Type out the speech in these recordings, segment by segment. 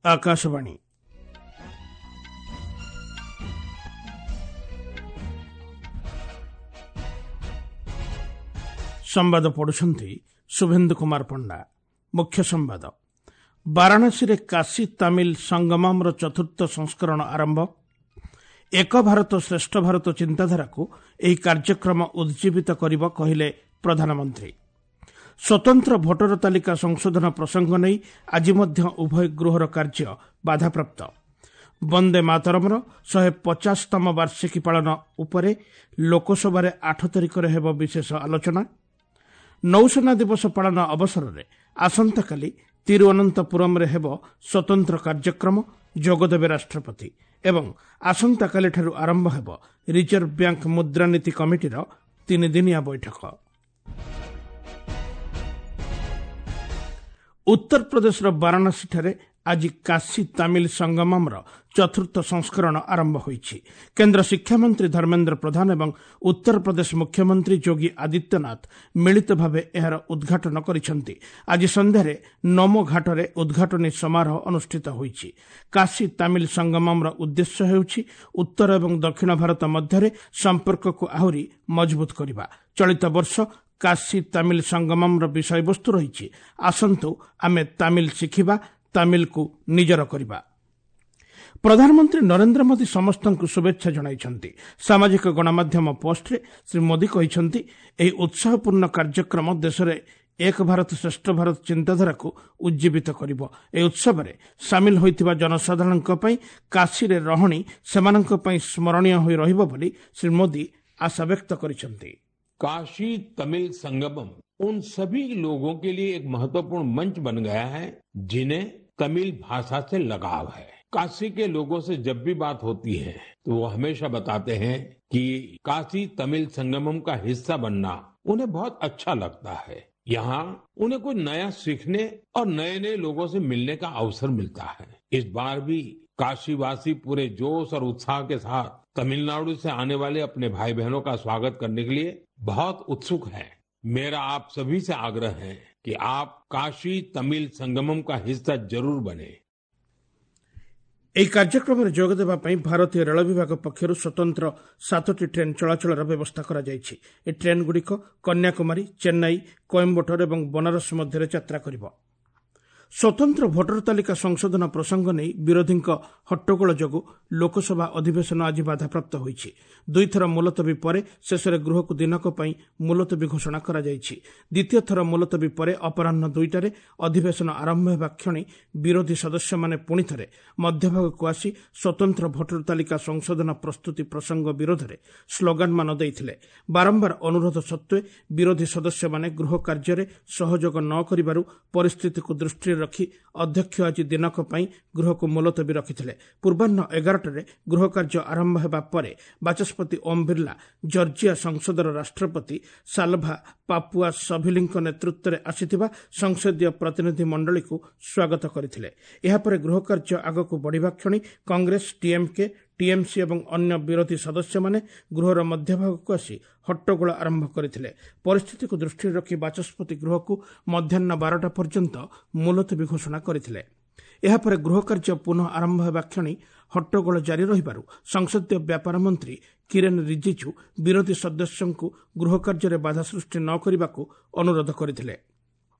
ଆକାଶବାଣୀ। ସମ୍ବାଦ ପଢୁଛନ୍ତି ଶୁଭେନ୍ଦୁ କୁମାର ପଣ୍ଡା। ମୁଖ୍ୟ ସମ୍ବାଦ। ବାରାଣସୀରେ କାଶୀ ତାମିଲ ସଙ୍ଗମମ୍ର ଚତୁର୍ଥ ସଂସ୍କରଣ ଆରମ୍ଭ। ଏକ ଭାରତ ଶ୍ରେଷ୍ଠ ଭାରତ ଚିନ୍ତାଧାରାକୁ ଏହି କାର୍ଯ୍ୟକ୍ରମ ଉଜ୍ଜୀବିତ କରିବ, କହିଲେ ପ୍ରଧାନମନ୍ତ୍ରୀ। ସ୍ୱତନ୍ତ୍ର ଭୋଟର ତାଲିକା ସଂଶୋଧନ ପ୍ରସଙ୍ଗ ନେଇ ଆଜି ମଧ୍ୟ ଉଭୟ ଗୃହର କାର୍ଯ୍ୟ ବାଧାପ୍ରାପ୍ତ। ବନ୍ଦେ ମାତରମ୍ର 150ତମ ବାର୍ଷିକୀ ପାଳନ ଉପରେ ଲୋକସଭାରେ 8 ତାରିଖରେ ହେବ ବିଶେଷ ଆଲୋଚନା। ନୌସେନା ଦିବସ ପାଳନ ଅବସରରେ ଆସନ୍ତାକାଲି ତିରୁଅନନ୍ତପୁରମ୍ରେ ହେବ ସ୍ୱତନ୍ତ୍ର କାର୍ଯ୍ୟକ୍ରମ, ଯୋଗଦେବେ ରାଷ୍ଟ୍ରପତି। ଏବଂ ଆସନ୍ତାକାଲିଠାରୁ ଆରମ୍ଭ ହେବ ରିଜର୍ଭ ବ୍ୟାଙ୍କ ମୁଦ୍ରାନୀତି କମିଟିର ତିନିଦିନିଆ ବୈଠକ। ଉତ୍ତରପ୍ରଦେଶର ବାରାଣସୀଠାରେ ଆଜି କାଶୀ ତାମିଲ ସଙ୍ଗମମ୍ର ଚତୁର୍ଥ ସଂସ୍କରଣ ଆରମ୍ଭ ହୋଇଛି। କେନ୍ଦ୍ର ଶିକ୍ଷାମନ୍ତ୍ରୀ ଧର୍ମେନ୍ଦ୍ର ପ୍ରଧାନ ଏବଂ ଉତ୍ତରପ୍ରଦେଶ ମୁଖ୍ୟମନ୍ତ୍ରୀ ଯୋଗୀ ଆଦିତ୍ୟନାଥ ମିଳିତ ଭାବେ ଏହାର ଉଦ୍ଘାଟନ କରିଛନ୍ତି। ଆଜି ସନ୍ଧ୍ୟାରେ ନମୋ ଘାଟରେ ଉଦ୍ଘାଟନୀ ସମାରୋହ ଅନୁଷ୍ଠିତ ହୋଇଛି। କାଶୀ ତାମିଲ ସଙ୍ଗମମ୍ର ଉଦ୍ଦେଶ୍ୟ ହେଉଛି ଉତ୍ତର ଏବଂ ଦକ୍ଷିଣ ଭାରତ ମଧ୍ୟରେ ସମ୍ପର୍କକୁ ଆହୁରି ମଜବୁତ କରିବା। ଚଳିତ ବର୍ଷ କାଶୀ ତାମିଲ ସଙ୍ଗମମ୍ର ବିଷୟବସ୍ତୁ ରହିଛି, ଆସନ୍ତୁ ଆମେ ତାମିଲ ଶିଖିବା, ତାମିଲକୁ ନିଜର କରିବା। ପ୍ରଧାନମନ୍ତ୍ରୀ ନରେନ୍ଦ୍ର ମୋଦି ସମସ୍ତଙ୍କୁ ଶୁଭେଚ୍ଛା ଜଣାଇଛନ୍ତି। ସାମାଜିକ ଗଣମାଧ୍ୟମ ପୋଷ୍ଟରେ ଶ୍ରୀ ମୋଦି କହିଛନ୍ତି, ଏହି ଉତ୍ସାହପୂର୍ଣ୍ଣ କାର୍ଯ୍ୟକ୍ରମ ଦେଶରେ ଏକ ଭାରତ ଶ୍ରେଷ୍ଠ ଭାରତ ଚିନ୍ତାଧାରାକୁ ଉଜ୍ଜୀବିତ କରିବ। ଏହି ଉତ୍ସବରେ ସାମିଲ ହୋଇଥିବା ଜନସାଧାରଣଙ୍କ ପାଇଁ କାଶୀରେ ରହଣି ସେମାନଙ୍କ ପାଇଁ ସ୍ମରଣୀୟ ହୋଇ ରହିବ ବୋଲି ଶ୍ରୀ ମୋଦି ଆଶା ବ୍ୟକ୍ତ କରିଛନ୍ତି। काशी तमिल संगमम उन सभी लोगों के लिए एक महत्वपूर्ण मंच बन गया है जिन्हें तमिल भाषा से लगाव है। काशी के लोगों से जब भी बात होती है तो वो हमेशा बताते हैं कि काशी तमिल संगमम का हिस्सा बनना उन्हें बहुत अच्छा लगता है। यहाँ उन्हें कुछ नया सीखने और नए नए लोगों से मिलने का अवसर मिलता है। इस बार भी काशीवासी पूरे जोश और उत्साह के साथ तमिलनाडु से आने वाले अपने भाई बहनों का स्वागत करने के लिए बहुत उत्सुक हैं। मेरा आप सभी से आग्रह है कि आप काशी तमिल संगमम का हिस्सा जरूर बने। ଏହି କାର୍ଯ୍ୟକ୍ରମରେ ଯୋଗଦେବା ପାଇଁ ଭାରତୀୟ ରେଳ ବିଭାଗ ପକ୍ଷରୁ ସ୍ୱତନ୍ତ୍ର 7ଟି ଟ୍ରେନ୍ ଚଳାଚଳର ବ୍ୟବସ୍ଥା କରାଯାଇଛି। ଏହି ଟ୍ରେନ୍ଗୁଡ଼ିକ କନ୍ୟାକୁମାରୀ, ଚେନ୍ନାଇ, କୋଏମ୍ବାଟୁର ଏବଂ ବନାରସ ମଧ୍ୟରେ ଯାତ୍ରା କରିବ। ସ୍ୱତନ୍ତ୍ର ଭୋଟର ତାଲିକା ସଂଶୋଧନ ପ୍ରସଙ୍ଗ ନେଇ ବିରୋଧୀଙ୍କ ହଟ୍ଟଗୋଳ ଯୋଗୁଁ ଲୋକସଭା ଅଧିବେଶନ ଆଜି ବାଧାପ୍ରାପ୍ତ ହୋଇଛି। ଦୁଇଥର ମୁଲତବୀ ପରେ ଶେଷରେ ଗୃହକୁ ଦିନକ ପାଇଁ ମୁଲତବୀ ଘୋଷଣା କରାଯାଇଛି। ଦ୍ୱିତୀୟ ଥର ମୁଲତବୀ ପରେ ଅପରାହ୍ନ 2ଟାରେ ଅଧିବେଶନ ଆରମ୍ଭ ହେବା କ୍ଷଣି ବିରୋଧୀ ସଦସ୍ୟମାନେ ପୁଣିଥରେ ମଧ୍ୟଭାଗକୁ ଆସି ସ୍ୱତନ୍ତ୍ର ଭୋଟର ତାଲିକା ସଂଶୋଧନ ପ୍ରସ୍ତୁତି ପ୍ରସଙ୍ଗ ବିରୋଧରେ ସ୍ଲୋଗାନମାନ ଦେଇଥିଲେ। ବାରମ୍ବାର ଅନୁରୋଧ ସତ୍ତ୍ୱେ ବିରୋଧୀ ସଦସ୍ୟମାନେ ଗୃହ କାର୍ଯ୍ୟରେ ସହଯୋଗ ନ କରିବାରୁ ପରିସ୍ଥିତିକୁ ଦୃଷ୍ଟିରେ ରଖି ଅଧ୍ୟକ୍ଷ ଆଜି ଦିନକ ପାଇଁ ଗୃହକୁ ମୁଲତବୀ ରଖିଥିଲେ। ପୂର୍ବାହ୍ନ 11ଟାରେ ଗୃହ କାର୍ଯ୍ୟ ଆରମ୍ଭ ହେବା ପରେ ବାଚସ୍ପତି ଓମ୍ ବିର୍ଲା ଜର୍ଜିଆ ସଂସଦର ରାଷ୍ଟ୍ରପତି ସାଲଭା ପାପୁଆ ସଭିଲିଙ୍କ ନେତୃତ୍ୱରେ ଆସିଥିବା ସଂସଦୀୟ ପ୍ରତିନିଧି ମଣ୍ଡଳୀକୁ ସ୍ୱାଗତ କରିଥିଲେ। ଏହାପରେ ଗୃହ କାର୍ଯ୍ୟ ଆଗକୁ ବଢ଼ିବା କ୍ଷଣି କଂଗ୍ରେସ, ଡିଏମ୍କେ, ଟିଏମ୍ସି ଏବଂ ଅନ୍ୟ ବିରୋଧୀ ସଦସ୍ୟମାନେ ଗୃହର ମଧ୍ୟଭାଗକୁ ଆସି ହଟ୍ଟଗୋଳ ଆରମ୍ଭ କରିଥିଲେ। ପରିସ୍ଥିତିକୁ ଦୃଷ୍ଟିରେ ରଖି ବାଚସ୍ପତି ଗୃହକୁ ମଧ୍ୟାହ୍ନ 12ଟା ପର୍ଯ୍ୟନ୍ତ ମୁଲତବୀ ଘୋଷଣା କରିଥିଲେ। ଏହାପରେ ଗୃହ କାର୍ଯ୍ୟ ପୁନଃ ଆରମ୍ଭ ହେବା କ୍ଷଣି ହଟ୍ଟଗୋଳ ଜାରି ରହିବାରୁ ସଂସଦୀୟ ବ୍ୟାପାର ମନ୍ତ୍ରୀ କିରେନ୍ ରିଜିଜୁ ବିରୋଧୀ ସଦସ୍ୟଙ୍କୁ ଗୃହ କାର୍ଯ୍ୟରେ ବାଧା ସୃଷ୍ଟି ନ କରିବାକୁ ଅନୁରୋଧ କରିଥିଲେ।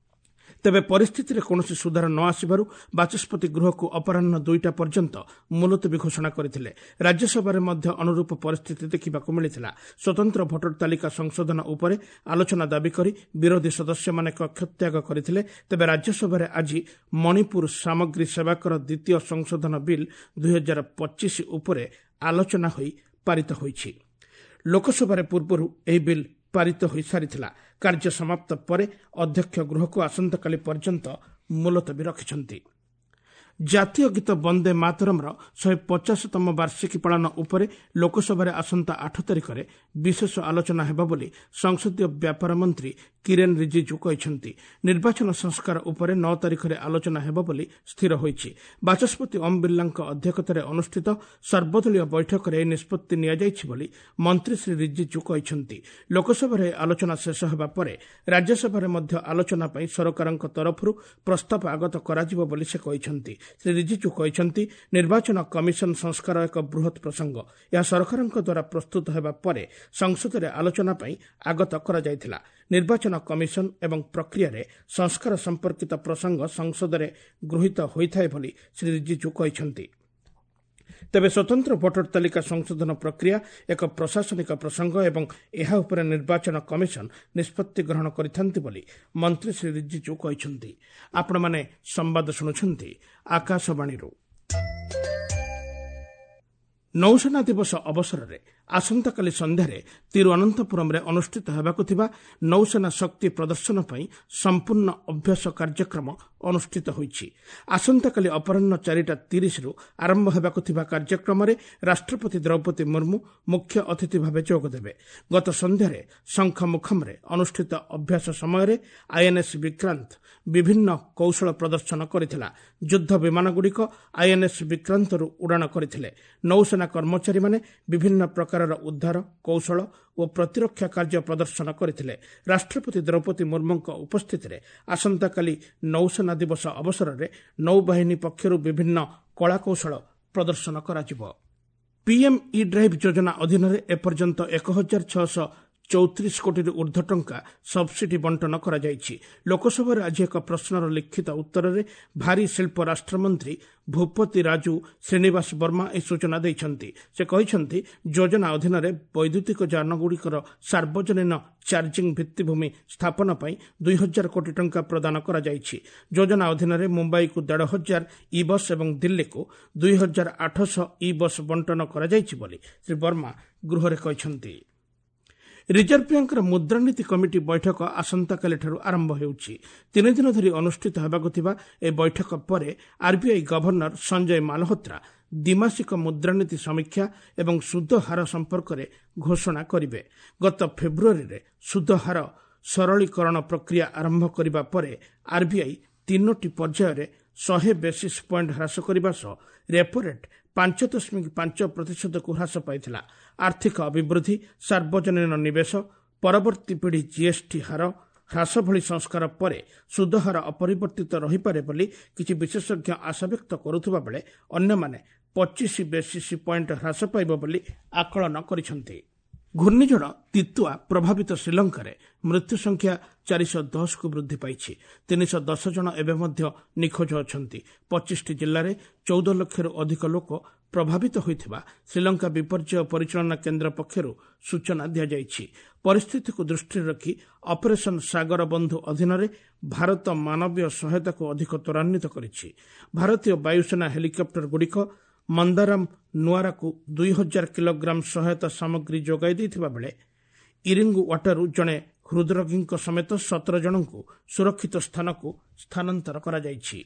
ତେବେ ପରିସ୍ଥିତିରେ କୌଣସି ସୁଧାର ନ ଆସିବାରୁ ବାଚସ୍ପତି ଗୃହକୁ ଅପରାହ୍ନ 2ଟା ପର୍ଯ୍ୟନ୍ତ ମୁଲତବୀ ଘୋଷଣା କରିଥିଲେ। ରାଜ୍ୟସଭାରେ ମଧ୍ୟ ଅନୁରୂପ ପରିସ୍ଥିତି ଦେଖିବାକୁ ମିଳିଥିଲା। ସ୍ୱତନ୍ତ୍ର ଭୋଟର ତାଲିକା ସଂଶୋଧନ ଉପରେ ଆଲୋଚନା ଦାବି କରି ବିରୋଧୀ ସଦସ୍ୟମାନେ କକ୍ଷତ୍ୟାଗ କରିଥିଲେ। ତେବେ ରାଜ୍ୟସଭାରେ ଆଜି ମଣିପୁର ସାମଗ୍ରୀ ସେବାକର ଦ୍ୱିତୀୟ ସଂଶୋଧନ ବିଲ୍ 2025 ଉପରେ ଆଲୋଚନା ହୋଇ ପାରିତ ହୋଇଛି। ଲୋକସଭାରେ ପୂର୍ବରୁ ଏହି ବିଲ୍ ପାରିତ ହୋଇସାରିଥିଲା। କାର୍ଯ୍ୟ ସମାପ୍ତ ପରେ ଅଧ୍ୟକ୍ଷ ଗୃହକୁ ଆସନ୍ତାକାଲି ପର୍ଯ୍ୟନ୍ତ ମୁଲତବୀ ରଖିଛନ୍ତି। ଜାତୀୟ ଗୀତ ବନ୍ଦେ ମାତରମ୍ର 150ତମ ବାର୍ଷିକୀ ପାଳନ ଉପରେ ଲୋକସଭାରେ ଆସନ୍ତା 8 ତାରିଖରେ ବିଶେଷ ଆଲୋଚନା ହେବ ବୋଲି ସଂସଦୀୟ ବ୍ୟାପାର ମନ୍ତ୍ରୀ କିରେନ୍ ରିଜିଜୁ କହିଛନ୍ତି। ନିର୍ବାଚନ ସଂସ୍କାର ଉପରେ 9 ତାରିଖରେ ଆଲୋଚନା ହେବ ବୋଲି ସ୍ଥିର ହୋଇଛି। ବାଚସ୍ପତି ଓମ୍ ବିର୍ଲାଙ୍କ ଅଧ୍ୟକ୍ଷତାରେ ଅନୁଷ୍ଠିତ ସର୍ବଦଳୀୟ ବୈଠକରେ ଏହି ନିଷ୍ପତ୍ତି ନିଆଯାଇଛି ବୋଲି ମନ୍ତ୍ରୀ ଶ୍ରୀ ରିଜିଜୁ କହିଛନ୍ତି। ଲୋକସଭାରେ ଆଲୋଚନା ଶେଷ ହେବା ପରେ ରାଜ୍ୟସଭାରେ ମଧ୍ୟ ଆଲୋଚନା ପାଇଁ ସରକାରଙ୍କ ତରଫରୁ ପ୍ରସ୍ତାବ ଆଗତ କରାଯିବ ବୋଲି ସେ କହିଛନ୍ତି। ଶ୍ରୀ ରିଜିଜୁ କହିଛନ୍ତି, ନିର୍ବାଚନ କମିଶନ ସଂସ୍କାର ଏକ ବୃହତ୍ ପ୍ରସଙ୍ଗ। ଏହା ସରକାରଙ୍କ ଦ୍ୱାରା ପ୍ରସ୍ତୁତ ହେବା ପରେ ସଂସଦରେ ଆଲୋଚନା ପାଇଁ ଆଗତ କରାଯାଇଥିଲା। ନିର୍ବାଚନ କମିଶନ ଏବଂ ପ୍ରକ୍ରିୟାରେ ସଂସ୍କାର ସମ୍ପର୍କିତ ପ୍ରସଙ୍ଗ ସଂସଦରେ ଗୃହୀତ ହୋଇଥାଏ ବୋଲି ଶ୍ରୀ ରିଜିଜୁ କହିଛନ୍ତି। ତେବେ ସ୍ୱତନ୍ତ୍ର ଭୋଟର ତାଲିକା ସଂଶୋଧନ ପ୍ରକ୍ରିୟା ଏକ ପ୍ରଶାସନିକ ପ୍ରସଙ୍ଗ ଏବଂ ଏହା ଉପରେ ନିର୍ବାଚନ କମିଶନ ନିଷ୍ପତ୍ତି ଗ୍ରହଣ କରିଥାନ୍ତି ବୋଲି ମନ୍ତ୍ରୀ ଶ୍ରୀ ରିଜିଜୁ କହିଛନ୍ତି। ଆପଣମାନେ ସମ୍ବାଦ ଶୁଣୁଛନ୍ତି ଆକାଶବାଣୀରୁ। ନୌସେନା ଦିବସ ଅବସରରେ ଆସନ୍ତାକାଲି ସନ୍ଧ୍ୟାରେ ତିରୁଅନନ୍ତପୁରମରେ ଅନୁଷ୍ଠିତ ହେବାକୁ ଥିବା ନୌସେନା ଶକ୍ତି ପ୍ରଦର୍ଶନ ପାଇଁ ସମ୍ପୂର୍ଣ୍ଣ ଅଭ୍ୟାସ କାର୍ଯ୍ୟକ୍ରମ ଅନୁଷ୍ଠିତ ହୋଇଛି। ଆସନ୍ତାକାଲି ଅପରାହ୍ନ 4:30ରୁ ଆରମ୍ଭ ହେବାକୁ ଥିବା କାର୍ଯ୍ୟକ୍ରମରେ ରାଷ୍ଟ୍ରପତି ଦ୍ରୌପଦୀ ମୁର୍ମୁ ମୁଖ୍ୟ ଅତିଥି ଭାବେ ଯୋଗଦେବେ। ଗତ ସନ୍ଧ୍ୟାରେ ଶଙ୍ଖମୁଖମରେ ଅନୁଷ୍ଠିତ ଅଭ୍ୟାସ ସମୟରେ ଆଇଏନ୍ଏସ୍ ବିକ୍ରାନ୍ତ ବିଭିନ୍ନ କୌଶଳ ପ୍ରଦର୍ଶନ କରିଥିଲା। ଯୁଦ୍ଧ ବିମାନଗୁଡ଼ିକ ଆଇଏନ୍ଏସ୍ ବିକ୍ରାନ୍ତରୁ ଉଡ଼ାଣ କରିଥିଲେ। ନୌସେନା କର୍ମଚାରୀମାନେ ବିଭିନ୍ନ ପ୍ରକାରର ଉଦ୍ଧାର କୌଶଳ ଓ ପ୍ରତିରକ୍ଷା କାର୍ଯ୍ୟ ପ୍ରଦର୍ଶନ କରିଥିଲେ। ରାଷ୍ଟ୍ରପତି ଦ୍ରୌପଦୀ ମୁର୍ମୁଙ୍କ ଉପସ୍ଥିତିରେ ଆସନ୍ତାକାଲି ନୌସେନା ଦିବସ ଅବସରରେ ନୌବାହିନୀ ପକ୍ଷରୁ ବିଭିନ୍ନ କଳାକୌଶଳ ପ୍ରଦର୍ଶନ କରାଯିବ। ପିଏମ୍ ଇ ଡ୍ରାଇଭ୍ ଯୋଜନା ଅଧୀନରେ ଏପର୍ଯ୍ୟନ୍ତ 1634 କୋଟିରୁ ଊର୍ଦ୍ଧ୍ୱ ଟଙ୍କା ସବ୍ସିଡି ବଣ୍ଟନ କରାଯାଇଛି। ଲୋକସଭାରେ ଆଜି ଏକ ପ୍ରଶ୍ନର ଲିଖିତ ଉତ୍ତରରେ ଭାରୀ ଶିଳ୍ପ ରାଷ୍ଟ୍ରମନ୍ତ୍ରୀ ଭୂପତି ରାଜୁ ଶ୍ରୀନିବାସ ବର୍ମା ଏହି ସୂଚନା ଦେଇଛନ୍ତି। ସେ କହିଛନ୍ତି, ଯୋଜନା ଅଧୀନରେ ବୈଦ୍ୟୁତିକ ଯାନଗୁଡ଼ିକର ସାର୍ବଜନୀନ ଚାର୍ଜିଂ ଭିତ୍ତିଭୂମି ସ୍ଥାପନ ପାଇଁ 2000 କୋଟି ଟଙ୍କା ପ୍ରଦାନ କରାଯାଇଛି। ଯୋଜନା ଅଧୀନରେ ମୁମ୍ବାଇକୁ 1500 ଇ ବସ୍ ଏବଂ ଦିଲ୍ଲୀକୁ 2800 ଇ ବସ୍ ବଣ୍ଟନ କରାଯାଇଛି ବୋଲି ଶ୍ରୀ ବର୍ମା ଗୃହରେ କହିଛନ୍ତି। ରିଜର୍ଭ ବ୍ୟାଙ୍କର ମୁଦ୍ରାନୀତି କମିଟି ବୈଠକ ଆସନ୍ତାକାଲିଠାରୁ ଆରମ୍ଭ ହେଉଛି। 3 ଦିନ ଧରି ଅନୁଷ୍ଠିତ ହେବାକୁ ଥିବା ଏହି ବୈଠକ ପରେ ଆର୍ବିଆଇ ଗଭର୍ଣ୍ଣର ସଞ୍ଜୟ ମାଲହୋତ୍ରା ଦ୍ୱିମାସିକ ମୁଦ୍ରାନୀତି ସମୀକ୍ଷା ଏବଂ ସୁଧ ହାର ସମ୍ପର୍କରେ ଘୋଷଣା କରିବେ। ଗତ ଫେବୃଆରୀରେ ସୁଧ ହାର ସରଳୀକରଣ ପ୍ରକ୍ରିୟା ଆରମ୍ଭ କରିବା ପରେ ଆର୍ବିଆଇ 3ଟି ପର୍ଯ୍ୟାୟରେ 100 ବେସିସ୍ ପଏଣ୍ଟ ହ୍ରାସ କରିବା ସହ ରେପୋ ରେଟ୍ 5.5%କୁ ହ୍ରାସ ପାଇଥିଲା। ଆର୍ଥିକ ଅଭିବୃଦ୍ଧି, ସାର୍ବଜନୀନ ନିବେଶ, ପରବର୍ତ୍ତୀ ପିଢ଼ି ଜିଏସ୍ଟି ହାର ହ୍ରାସ ଭଳି ସଂସ୍କାର ପରେ ସୁଧହାର ଅପରିବର୍ତ୍ତିତ ରହିପାରେ ବୋଲି କିଛି ବିଶେଷଜ୍ଞ ଆଶାବ୍ୟକ୍ତ କରୁଥିବା ବେଳେ ଅନ୍ୟମାନେ 25 ବେସିସ୍ ପଏଣ୍ଟ ହ୍ରାସ ପାଇବ ବୋଲି ଆକଳନ କରିଛନ୍ତି। ଘୂର୍ଣ୍ଣିଝଡ଼ ତିତୁଆ ପ୍ରଭାବିତ ଶ୍ରୀଲଙ୍କାରେ ମୃତ୍ୟୁ ସଂଖ୍ୟା 410କୁ ବୃଦ୍ଧି ପାଇଛି। 310 ଜଣ ଏବେ ମଧ୍ୟ ନିଖୋଜ ଅଛନ୍ତି। 25ଟି ଜିଲ୍ଲାରେ 14 ଲକ୍ଷରୁ ଅଧିକ ଲୋକ ପ୍ରଭାବିତ ହୋଇଥିବା ଶ୍ରୀଲଙ୍କା ବିପର୍ଯ୍ୟୟ ପରିଚାଳନା କେନ୍ଦ୍ର ପକ୍ଷରୁ ସୂଚନା ଦିଆଯାଇଛି। ପରିସ୍ଥିତିକୁ ଦୃଷ୍ଟିରେ ରଖି ଅପରେସନ୍ ସାଗର ବନ୍ଧୁ ଅଧୀନରେ ଭାରତ ମାନବୀୟ ସହାୟତାକୁ ଅଧିକ ତ୍ୱରାନ୍ୱିତ କରିଛି। ଭାରତୀୟ ବାୟୁସେନା ହେଲିକପ୍ଟରଗୁଡ଼ିକ ମନ୍ଦାରାମ ନୁଆରାକୁ 2000 କିଲୋଗ୍ରାମ ସହାୟତା ସାମଗ୍ରୀ ଯୋଗାଇ ଦେଇଥିବା ବେଳେ ଇରିଙ୍ଗୁ ୱାଟାରୁ ଜଣେ ହୃଦରୋଗୀଙ୍କ ସମେତ 17 ଜଣଙ୍କୁ ସୁରକ୍ଷିତ ସ୍ଥାନକୁ ସ୍ଥାନାନ୍ତର କରାଯାଇଛି।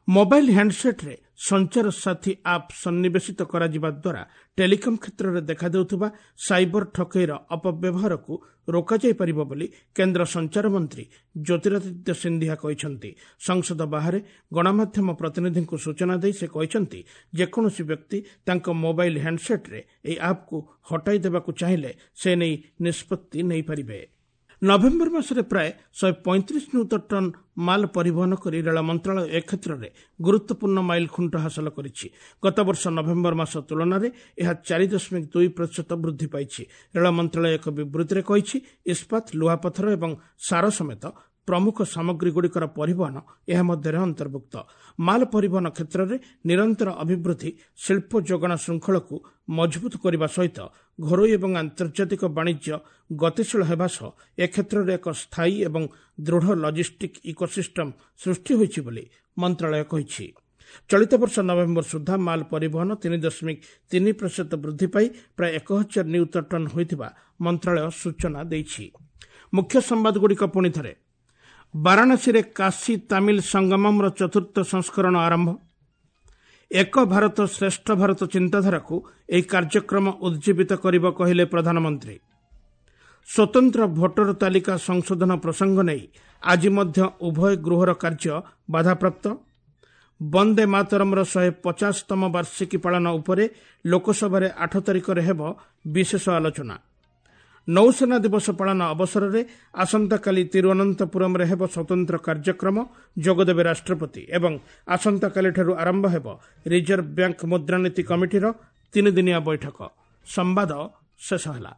ମୋବାଇଲ୍ ହ୍ୟାଣ୍ଡସେଟ୍ରେ ସଞ୍ଚାର ସାଥୀ ଆପ୍ ସନ୍ନିବେଶିତ କରାଯିବା ଦ୍ୱାରା ଟେଲିକମ୍ କ୍ଷେତ୍ରରେ ଦେଖାଦେଉଥିବା ସାଇବର ଠକେଇର ଅପବ୍ୟବହାରକୁ ରୋକାଯାଇପାରିବ ବୋଲି କେନ୍ଦ୍ର ସଞ୍ଚାର ମନ୍ତ୍ରୀ ଜ୍ୟୋତିରାଦିତ୍ୟ ସିନ୍ଧିଆ କହିଛନ୍ତି। ସଂସଦ ବାହାରେ ଗଣମାଧ୍ୟମ ପ୍ରତିନିଧିଙ୍କୁ ସୂଚନା ଦେଇ ସେ କହିଛନ୍ତି, ଯେକୌଣସି ବ୍ୟକ୍ତି ତାଙ୍କ ମୋବାଇଲ୍ ହ୍ୟାଣ୍ଡସେଟ୍ରେ ଏହି ଆପ୍କୁ ହଟାଇ ଦେବାକୁ ଚାହିଁଲେ ସେ ନେଇ ନିଷ୍ପତ୍ତି ନେଇପାରିବେ। ନଭେମ୍ବର ମାସରେ ପ୍ରାୟ 135 ନିୟୁତ ଟନ୍ ମାଲ ପରିବହନ କରି ରେଳ ମନ୍ତ୍ରଣାଳୟ ଏ କ୍ଷେତ୍ରରେ ଗୁରୁତ୍ୱପୂର୍ଣ୍ଣ ମାଇଲଖୁଣ୍ଟ ହାସଲ କରିଛି। ଗତବର୍ଷ ନଭେମ୍ବର ମାସ ତୁଳନାରେ ଏହା 4.2% ବୃଦ୍ଧି ପାଇଛି। ରେଳ ମନ୍ତ୍ରଣାଳୟ ଏକ ବିବୃତ୍ତିରେ କହିଛି, ଇସ୍ପାତ, ଲୁହାପଥର ଏବଂ ସାର ସମେତ ପ୍ରମୁଖ ସାମଗ୍ରୀଗୁଡ଼ିକର ପରିବହନ ଏହା ମଧ୍ୟରେ ଅନ୍ତର୍ଭୁକ୍ତ। ମାଲ ପରିବହନ କ୍ଷେତ୍ରରେ ନିରନ୍ତର ଅଭିବୃଦ୍ଧି ଶିଳ୍ପ ଯୋଗାଣ ଶୃଙ୍ଖଳକୁ ମଜବୁତ କରିବା ସହିତ ଘରୋଇ ଏବଂ ଆନ୍ତର୍ଜାତିକ ବାଣିଜ୍ୟ ଗତିଶୀଳ ହେବା ସହ ଏ କ୍ଷେତ୍ରରେ ଏକ ସ୍ଥାୟୀ ଏବଂ ଦୃଢ଼ ଲଜିଷ୍ଟିକ୍ ଇକୋସିଷ୍ଟମ୍ ସୃଷ୍ଟି ହୋଇଛି ବୋଲି ମନ୍ତ୍ରଣାଳୟ କହିଛି। ଚଳିତ ବର୍ଷ ନଭେମ୍ବର ସୁଦ୍ଧା ମାଲ ପରିବହନ 3.3% ବୃଦ୍ଧି ପାଇ ପ୍ରାୟ 1000 ନିୟୁତ ଟନ୍ ହୋଇଥିବା ମନ୍ତ୍ରଣାଳୟ ସୂଚନା ଦେଇଛି। ମୁଖ୍ୟ ସମ୍ବାଦଗୁଡ଼ିକ ପୁଣି ଥରେ। ବାରାଣସୀରେ କାଶୀ ତାମିଲ ସଙ୍ଗମମ୍ର ଚତୁର୍ଥ ସଂସ୍କରଣ ଆରମ୍ଭ। ଏକ ଭାରତ ଶ୍ରେଷ୍ଠ ଭାରତ ଚିନ୍ତାଧାରାକୁ ଏହି କାର୍ଯ୍ୟକ୍ରମ ଉଜ୍ଜୀବିତ କରିବ କହିଲେ ପ୍ରଧାନମନ୍ତ୍ରୀ। ସ୍ୱତନ୍ତ୍ର ଭୋଟର ତାଲିକା ସଂଶୋଧନ ପ୍ରସଙ୍ଗ ନେଇ ଆଜି ମଧ୍ୟ ଉଭୟ ଗୃହର କାର୍ଯ୍ୟ ବାଧାପ୍ରାପ୍ତ। ବନ୍ଦେ ମାତରମ୍ର 150ତମ ବାର୍ଷିକୀ ପାଳନ ଉପରେ ଲୋକସଭାରେ 8 ତାରିଖରେ ହେବ ବିଶେଷ ଆଲୋଚନା। ନୌସେନା ଦିବସ ପାଳନ ଅବସରରେ ଆସନ୍ତାକାଲି ତିରୁଅନନ୍ତପୁରମରେ ହେବ ସ୍ୱତନ୍ତ୍ର କାର୍ଯ୍ୟକ୍ରମ, ଯୋଗଦେବେ ରାଷ୍ଟ୍ରପତି। ଏବଂ ଆସନ୍ତାକାଲିଠାରୁ ଆରମ୍ଭ ହେବ ରିଜର୍ଭ ବ୍ୟାଙ୍କ ମୁଦ୍ରାନୀତି କମିଟିର 3 ଦିନିଆ ବୈଠକ। ସମ୍ବାଦ ଶେଷ ହେଲା।